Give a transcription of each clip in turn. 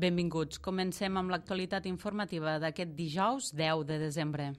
Benvinguts. Comencem amb l'actualitat informativa d'aquest dijous 10 de desembre.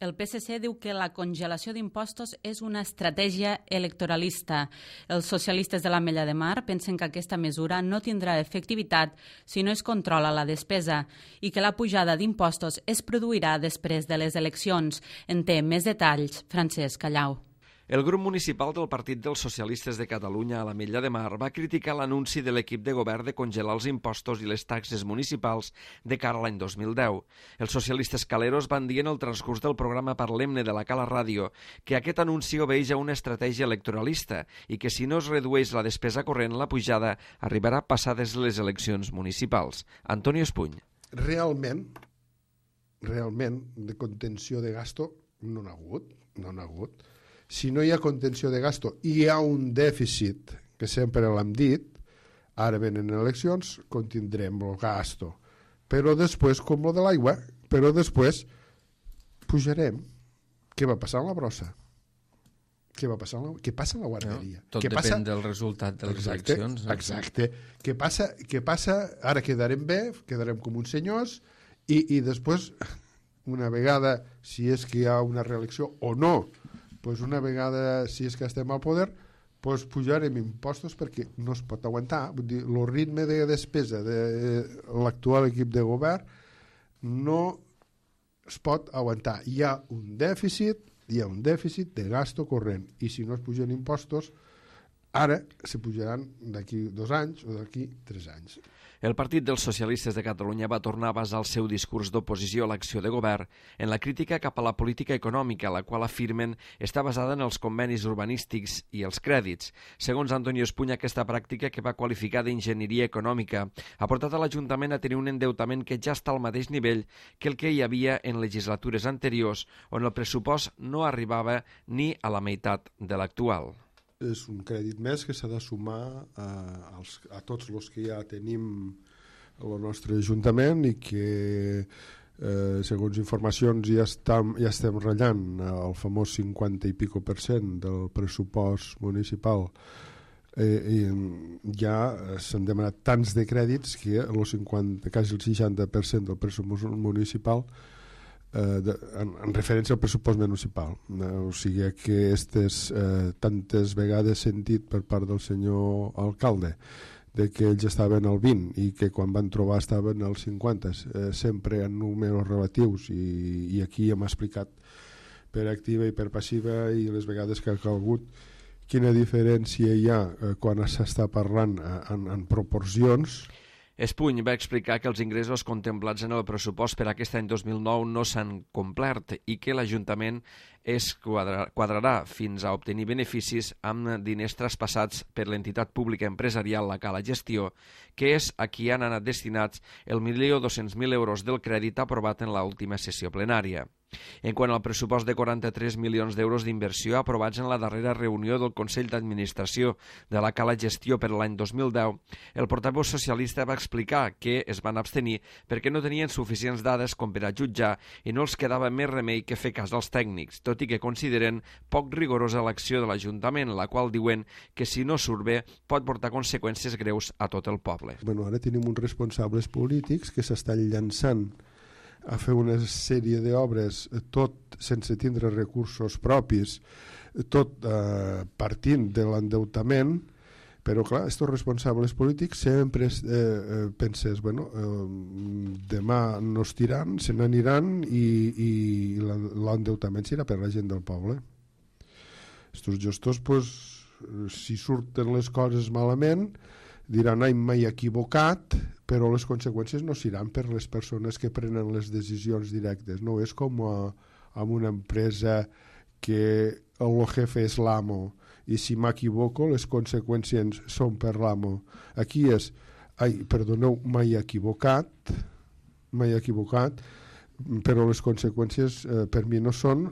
El PSC diu que la congelació d'impostos és una estratègia electoralista. Els socialistes de l'Ametlla de Mar pensen que aquesta mesura no tindrà efectivitat si no es controla la despesa i que la pujada d'impostos es produirà després de les eleccions. En té més detalls Francesc Callau. El grup municipal del Partit dels Socialistes de Catalunya a l'Ametlla de Mar va criticar l'anunci de l'equip de govern de congelar els impostos i les taxes municipals de cara a l'any 2010. Els socialistes caleros van dir en el transcurs del programa Parlem-ne de la Cala Ràdio que aquest anunci obeeix a una estratègia electoralista i que si no es redueix la despesa corrent, la pujada arribarà passades les eleccions municipals. Antonio Espuny. Realment, de contenció de gasto no n'ha hagut. Si no hi ha contenció de gasto i hi ha un dèficit, que sempre l'hem dit, ara venen eleccions, contindrem el gasto. Però després, com lo de l'aigua, pujarem. Què va passar amb la brossa? Què passa amb la guarderia? Tot depèn del resultat de les eleccions. Exacte. Què passa? Ara quedarem bé, quedarem com uns senyors i després, una vegada, si és que hi ha una reelecció o no, pues una vegada, si és que estem al poder, pues pujarem impostos perquè no es pot aguantar. Vull dir, el ritme de despesa de l'actual equip de govern no es pot aguantar. Hi ha un dèficit de gasto corrent i si no es pugen impostos, ara se pujaran d'aquí 2 anys o d'aquí 3 anys. El Partit dels Socialistes de Catalunya va tornar a basar el seu discurs d'oposició a l'acció de govern en la crítica cap a la política econòmica, la qual afirmen està basada en els convenis urbanístics i els crèdits. Segons Antonio Espuny, aquesta pràctica, que va qualificar d'enginyeria econòmica, ha portat a l'Ajuntament a tenir un endeutament que ja està al mateix nivell que el que hi havia en legislatures anteriors, on el pressupost no arribava ni a la meitat de l'actual. És un crèdit més que s'ha de sumar a tots els que ja tenim el nostre Ajuntament i que, segons informacions, ja estem ratllant el famós 50 i pico % del pressupost municipal. Ja s'han demanat tants de crèdits que quasi el 60% del pressupost municipal en referència al pressupost municipal. O sigui que tantes vegades sentit per part del senyor alcalde de que ells estaven al 20 i que quan van trobar estaven al 50, sempre en números relatius i aquí hem explicat per activa i per passiva i les vegades que ha calgut quina diferència hi ha quan s'està parlant en proporcions. Espuny va explicar que els ingressos contemplats en el pressupost per aquest any 2009 no s'han complert i que l'Ajuntament es quadrarà fins a obtenir beneficis amb diners traspassats per l'entitat pública empresarial La Cala Gestió, que és a qui han anat destinats el 1.200.000 euros del crèdit aprovat en l'última sessió plenària. En quant al pressupost de 43 milions d'euros d'inversió aprovats en la darrera reunió del Consell d'Administració de la Cala Gestió per l'any 2010, el portaveu socialista va explicar que es van abstenir perquè no tenien suficients dades com per a jutjar i no els quedava més remei que fer cas als tècnics, tot i que consideren poc rigorosa l'acció de l'Ajuntament, la qual diuen que si no surt bé pot portar conseqüències greus a tot el poble. Ara tenim uns responsables polítics que s'estan llançant a fer una sèrie d'obres tot sense tindre recursos propis, tot partint de l'endeutament, però clar, aquests responsables polítics sempre penses, demà no es tiran, se n'aniran i l'endeutament serà per la gent del poble. Estos gestors, si surten les coses malament, diran, ai, m'he equivocat, però les conseqüències no seran per les persones que prenen les decisions directes. No és com amb una empresa que el jefe és l'amo i si m'equivoco les conseqüències són per l'amo. Aquí és, ai, perdoneu, m'he equivocat, però les conseqüències per mi no són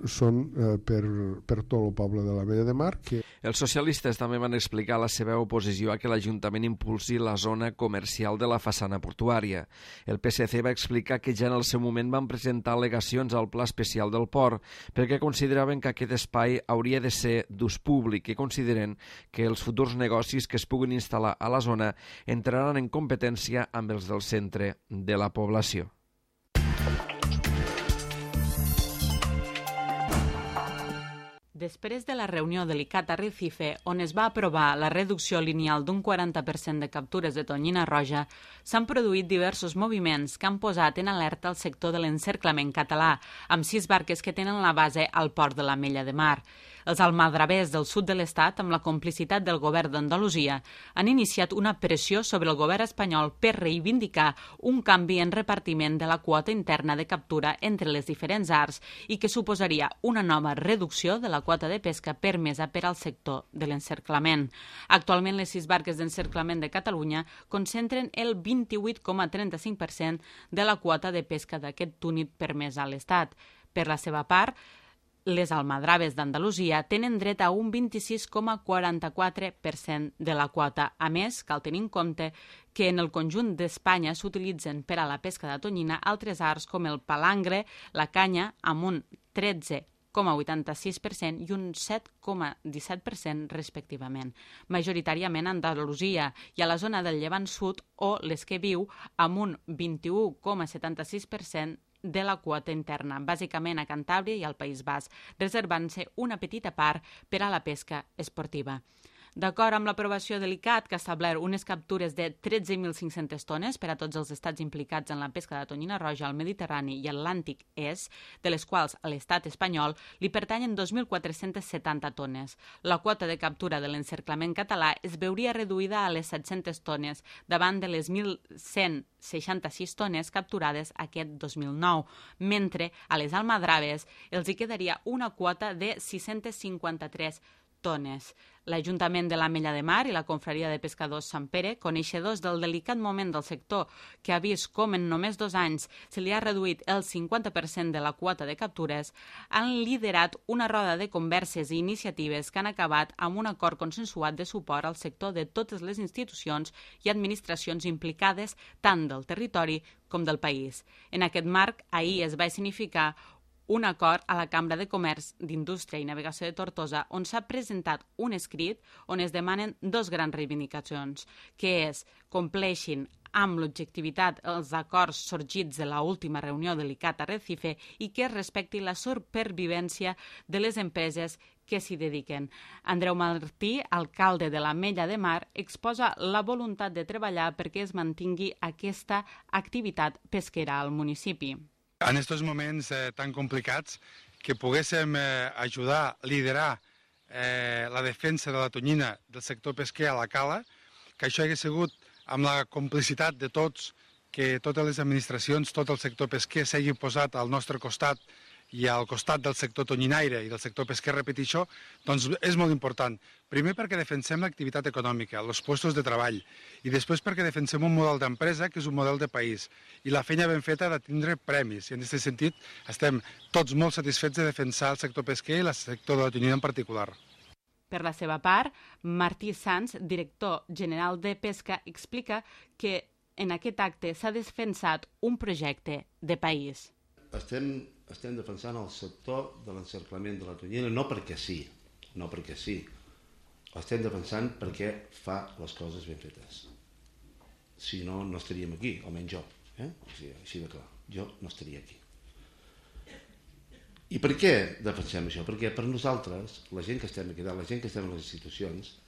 per tot el poble de l'Ametlla de Mar. Els socialistes també van explicar la seva oposició a que l'Ajuntament impulsi la zona comercial de la façana portuària. El PSC va explicar que ja en el seu moment van presentar al·legacions al Pla Especial del Port perquè consideraven que aquest espai hauria de ser d'ús públic i consideren que els futurs negocis que es puguin instal·lar a la zona entraran en competència amb els del centre de la població. Després de la reunió de l'ICAT a Recife, on es va aprovar la reducció lineal d'un 40% de captures de tonyina roja, s'han produït diversos moviments que han posat en alerta el sector de l'encerclament català, amb 6 barques que tenen la base al port de l'Ametlla de Mar. Els almadravers del sud de l'Estat, amb la complicitat del govern d'Andalusia, han iniciat una pressió sobre el govern espanyol per reivindicar un canvi en repartiment de la quota interna de captura entre les diferents arts i que suposaria una nova reducció de la quota de pesca permesa per al sector de l'encerclament. Actualment, les 6 barques d'encerclament de Catalunya concentren el 28,35% de la quota de pesca d'aquest túnid permesa a l'Estat. Per la seva part, les almadraves d'Andalusia tenen dret a un 26,44% de la quota. A més, cal tenir en compte que en el conjunt d'Espanya s'utilitzen per a la pesca de tonyina altres arts com el palangre, la canya, amb un 13,86% i un 7,17% respectivament. Majoritàriament a Andalusia i a la zona del Llevant Sud o les que viu amb un 21,76% de la quota interna, bàsicament a Cantàbria i al País Basc, reservant-se una petita part per a la pesca esportiva. D'acord amb l'aprovació de l'ICAT, que ha establert unes captures de 13.500 tones per a tots els estats implicats en la pesca de tonyina roja al Mediterrani i Atlàntic Est, de les quals a l'estat espanyol li pertanyen 2.470 tones. La quota de captura de l'encerclament català es veuria reduïda a les 700 tones, davant de les 1.166 tones capturades aquest 2009, mentre a les almadraves els hi quedaria una quota de 653 tones. L'Ajuntament de l'Ametlla de Mar i la Confraria de Pescadors Sant Pere, coneixedors del delicat moment del sector que ha vist com en només 2 anys se li ha reduït el 50% de la quota de captures, han liderat una roda de converses i iniciatives que han acabat amb un acord consensuat de suport al sector de totes les institucions i administracions implicades tant del territori com del país. En aquest marc, ahir es va significar un acord a la Cambra de Comerç, d'Indústria i Navegació de Tortosa, on s'ha presentat un escrit on es demanen 2 grans reivindicacions, que és compleixin amb l'objectivitat els acords sorgits de l'última reunió de l'ICAT a Recife i que es respecti la supervivència de les empreses que s'hi dediquen. Andreu Martí, alcalde de l'Ametlla de Mar, exposa la voluntat de treballar perquè es mantingui aquesta activitat pesquera al municipi. En aquests moments tan complicats que poguéssim ajudar a liderar la defensa de la tonyina del sector pesquer a la cala, que això hagués sigut amb la complicitat de tots, que totes les administracions, tot el sector pesquer s'hagi posat al nostre costat i al costat del sector tonyinaire i del sector pesquer, repetir això, doncs és molt important. Primer perquè defensem l'activitat econòmica, els llocs de treball, i després perquè defensem un model d'empresa que és un model de país. I la feina ben feta ha de tindre premis, i en aquest sentit estem tots molt satisfets de defensar el sector pesquer i el sector de la tonyina en particular. Per la seva part, Martí Sans, director general de Pesca, explica que en aquest acte s'ha defensat un projecte de país. Estem defensant el sector de l'encerclament de la tonyina, no perquè sí, L'estem defensant perquè fa les coses ben fetes. Si no, no estaríem aquí, almenys jo. O sigui, així de clar, jo no estaria aquí. I per què defensem això? Perquè per nosaltres, la gent que estem aquí, la gent que estem a les institucions,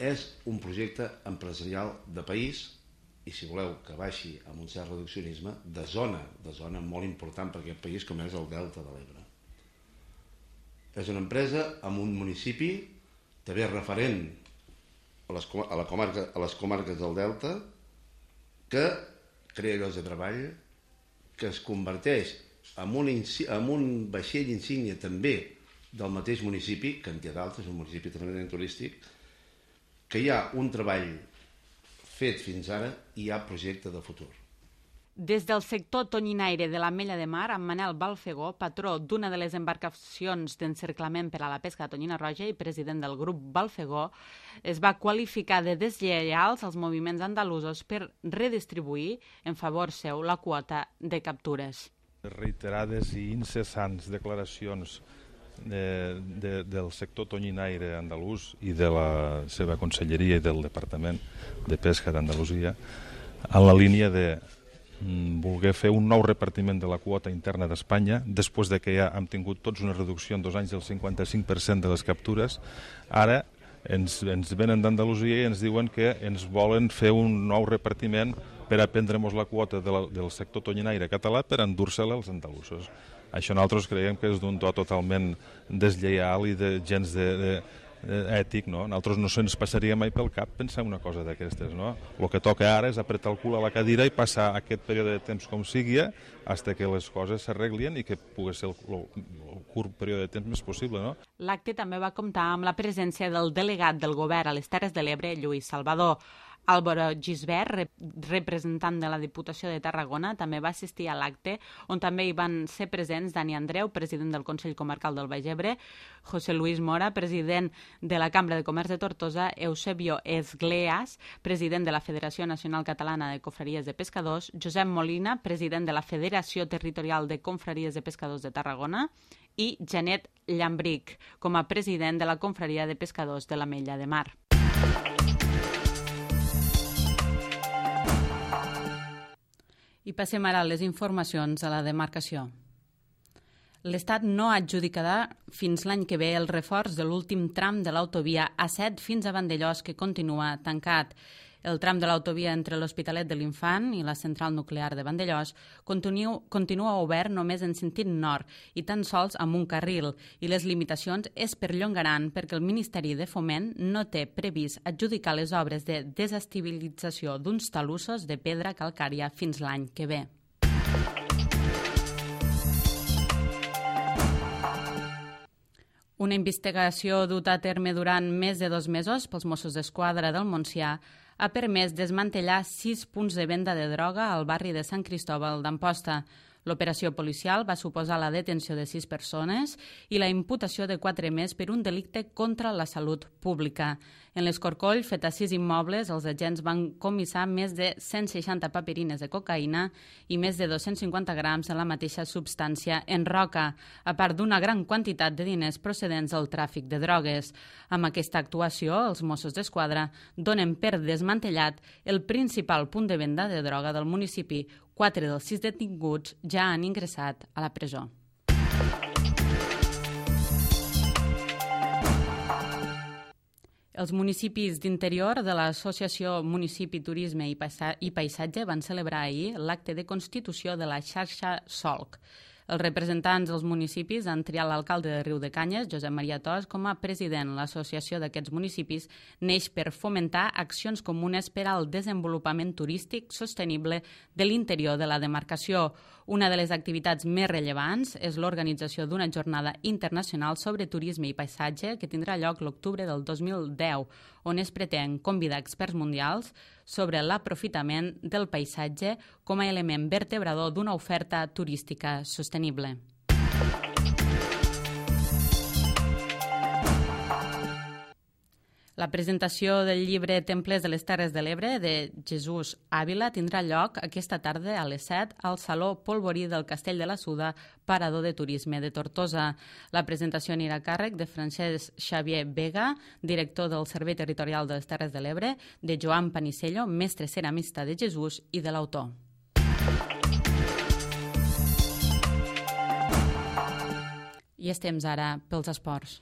és un projecte empresarial de país i, si voleu que baixi amb un cert reduccionisme, de zona molt important per aquest país com és el Delta de l'Ebre. És una empresa amb un municipi també referent a les comarques del Delta, que crea llocs de treball, que es converteix en un vaixell insígnia també del mateix municipi, que en té d'altres, un municipi tremendament turístic, que hi ha un treball fet fins ara i hi ha projecte de futur. Des del sector tonyinaire de l'Ametlla de Mar, en Manel Balfegó, patró d'una de les embarcacions d'encerclament per a la pesca de tonyina roja i president del grup Balfegó, es va qualificar de deslleials als moviments andalusos per redistribuir en favor seu la quota de captures. Reiterades i incessants declaracions del sector tonyinaire andalús i de la seva conselleria i del Departament de Pesca d'Andalusia en la línia de voler fer un nou repartiment de la quota interna d'Espanya després de que ja hem tingut tots una reducció en 2 anys del 55% de les captures. Ara ens venen d'Andalusia i ens diuen que ens volen fer un nou repartiment per a prendre-nos la quota del sector tonyinaire català per endur-se-la als andalusos. Això nosaltres creiem que és d'un to totalment deslleial i de gens ètic, no? Nosaltres no se'ns passaria mai pel cap pensar una cosa d'aquestes, no? El que toca ara és apretar el cul a la cadira i passar aquest període de temps com sigui fins que les coses s'arreglien i que pugui ser el curt període de temps més possible, no? L'acte també va comptar amb la presència del delegat del govern a les Terres de l'Ebre, Lluís Salvador. Álvaro Gisbert, representant de la Diputació de Tarragona, també va assistir a l'acte, on també hi van ser presents Dani Andreu, president del Consell Comarcal del Baix Ebre, José Luis Mora, president de la Cambra de Comerç de Tortosa, Eusebio Esgleas, president de la Federació Nacional Catalana de Confraries de Pescadors, Josep Molina, president de la Federació Territorial de Confraries de Pescadors de Tarragona, i Janet Llambric, com a president de la Confraria de Pescadors de l'Ametlla de Mar. I passem ara a les informacions a la demarcació. L'Estat no adjudicarà fins l'any que ve el reforç de l'últim tram de l'autovia A7 fins a Vandellòs, que continua tancat. El tram de l'autovia entre l'Hospitalet de l'Infant i la central nuclear de Vandellòs continua obert només en sentit nord i tan sols amb un carril, i les limitacions es perllongaran perquè el Ministeri de Foment no té previst adjudicar les obres de desestabilització d'uns talussos de pedra calcària fins l'any que ve. Una investigació duta a terme durant més de 2 mesos pels Mossos d'Esquadra del Montsià ha permès desmantellar 6 punts de venda de droga al barri de Sant Cristòbal d'Amposta. L'operació policial va suposar la detenció de 6 persones i la imputació de 4 més per un delicte contra la salut pública. En l'escorcoll fet a 6 immobles, els agents van comissar més de 160 paperines de cocaïna i més de 250 grams de la mateixa substància en roca, a part d'una gran quantitat de diners procedents del tràfic de drogues. Amb aquesta actuació, els Mossos d'Esquadra donen per desmantellat el principal punt de venda de droga del municipi. 4 dels 6 detinguts ja han ingressat a la presó. Els municipis d'interior de l'Associació Municipi, Turisme i Paisatge van celebrar ahir l'acte de constitució de la xarxa Solc. Els representants dels municipis han triat l'alcalde de Riudecanyes, Josep Maria Tos, com a president. L'associació d'aquests municipis neix per fomentar accions comunes per al desenvolupament turístic sostenible de l'interior de la demarcació. Una de les activitats més rellevants és l'organització d'una jornada internacional sobre turisme i paisatge que tindrà lloc l'octubre del 2010, on es pretén convidar experts mundials sobre l'aprofitament del paisatge com a element vertebrador d'una oferta turística sostenible. La presentació del llibre Templers de les Terres de l'Ebre de Jesús Ávila tindrà lloc aquesta tarda a les 7 al Saló Polvorí del Castell de la Suda, parador de turisme de Tortosa. La presentació anirà a càrrec de Francesc Xavier Vega, director del Servei Territorial de les Terres de l'Ebre, de Joan Panicello, mestre ceramista de Jesús, i de l'autor. I estem ara pels esports.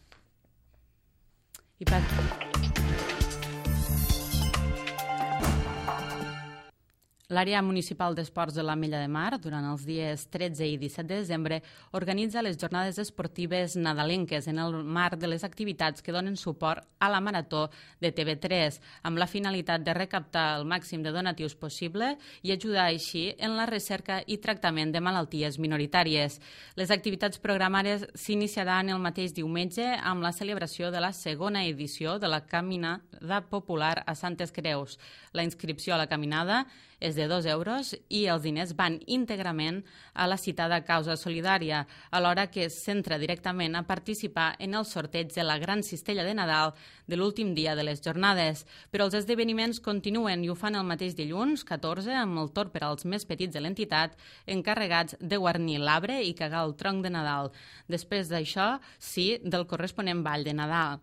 L'àrea municipal d'esports de l'Ametlla de Mar, durant els dies 13 i 17 de desembre, organitza les jornades esportives nadalenques en el marc de les activitats que donen suport a la Marató de TV3, amb la finalitat de recaptar el màxim de donatius possible i ajudar així en la recerca i tractament de malalties minoritàries. Les activitats programades s'iniciaran el mateix diumenge amb la celebració de la segona edició de la Caminada Popular a Santes Creus. La inscripció a la caminada és de de 2 euros i els diners van íntegrament a la citada causa solidària, alhora que es centra directament a participar en el sorteig de la gran cistella de Nadal de l'últim dia de les jornades. Però els esdeveniments continuen i ho fan el mateix dilluns, 14, amb el torn per als més petits de l'entitat, encarregats de guarnir l'arbre i cagar el tronc de Nadal. Després d'això, sí, del corresponent ball de Nadal.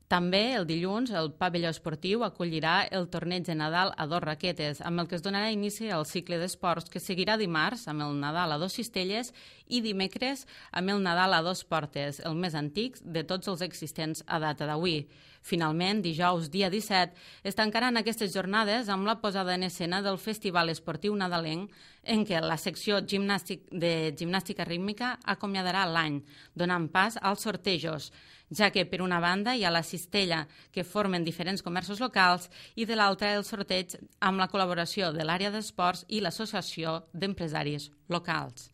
També el dilluns el pavelló esportiu acollirà el torneig de Nadal a 2 raquetes, amb el que es donarà inici al cicle d'esports que seguirà dimarts amb el Nadal a 2 cistelles i dimecres amb el Nadal a 2 portes, el més antic de tots els existents a data d'avui. Finalment, dijous, dia 17, es tancaran aquestes jornades amb la posada en escena del Festival Esportiu Nadalenc, en què la secció de gimnàstica rítmica acomiadarà l'any, donant pas als sortejos, ja que per una banda hi ha la cistella que formen diferents comerços locals i de l'altra el sorteig amb la col·laboració de l'àrea d'esports i l'Associació d'Empresaris Locals.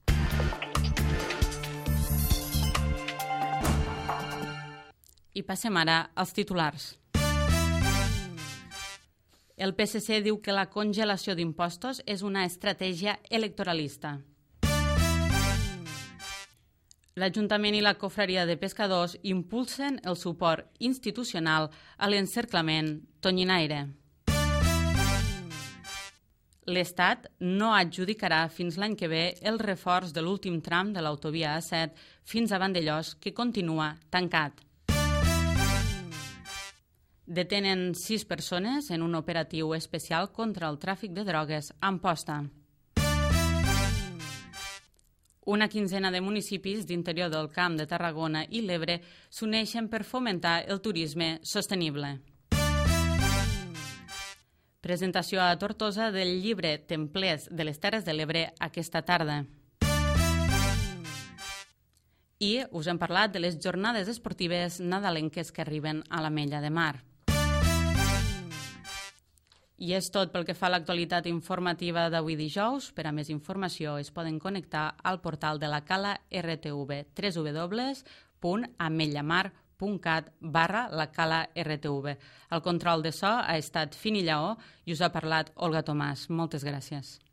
I passem ara als titulars. El PSC diu que la congelació d'impostos és una estratègia electoralista. L'Ajuntament i la Confraria de Pescadors impulsen el suport institucional a l'encerclament tonyinaire. L'Estat no adjudicarà fins l'any que ve el reforç de l'últim tram de l'autovia A7 fins a Vandellòs, que continua tancat. Detenen 6 persones en un operatiu especial contra el tràfic de drogues a Amposta. Una quinzena de municipis d'interior del Camp de Tarragona i l'Ebre s'uneixen per fomentar el turisme sostenible. Presentació a Tortosa del llibre Templers de les Terres de l'Ebre aquesta tarda. I us hem parlat de les jornades esportives nadalenques que arriben a l'Ametlla de Mar. I és tot pel que fa a l'actualitat informativa d'avui dijous. Per a més informació es poden connectar al portal de la Cala RTV, www.ametllamar.cat/la Cala RTV. El control de so ha estat Fini Lleó i us ha parlat Olga Tomàs. Moltes gràcies.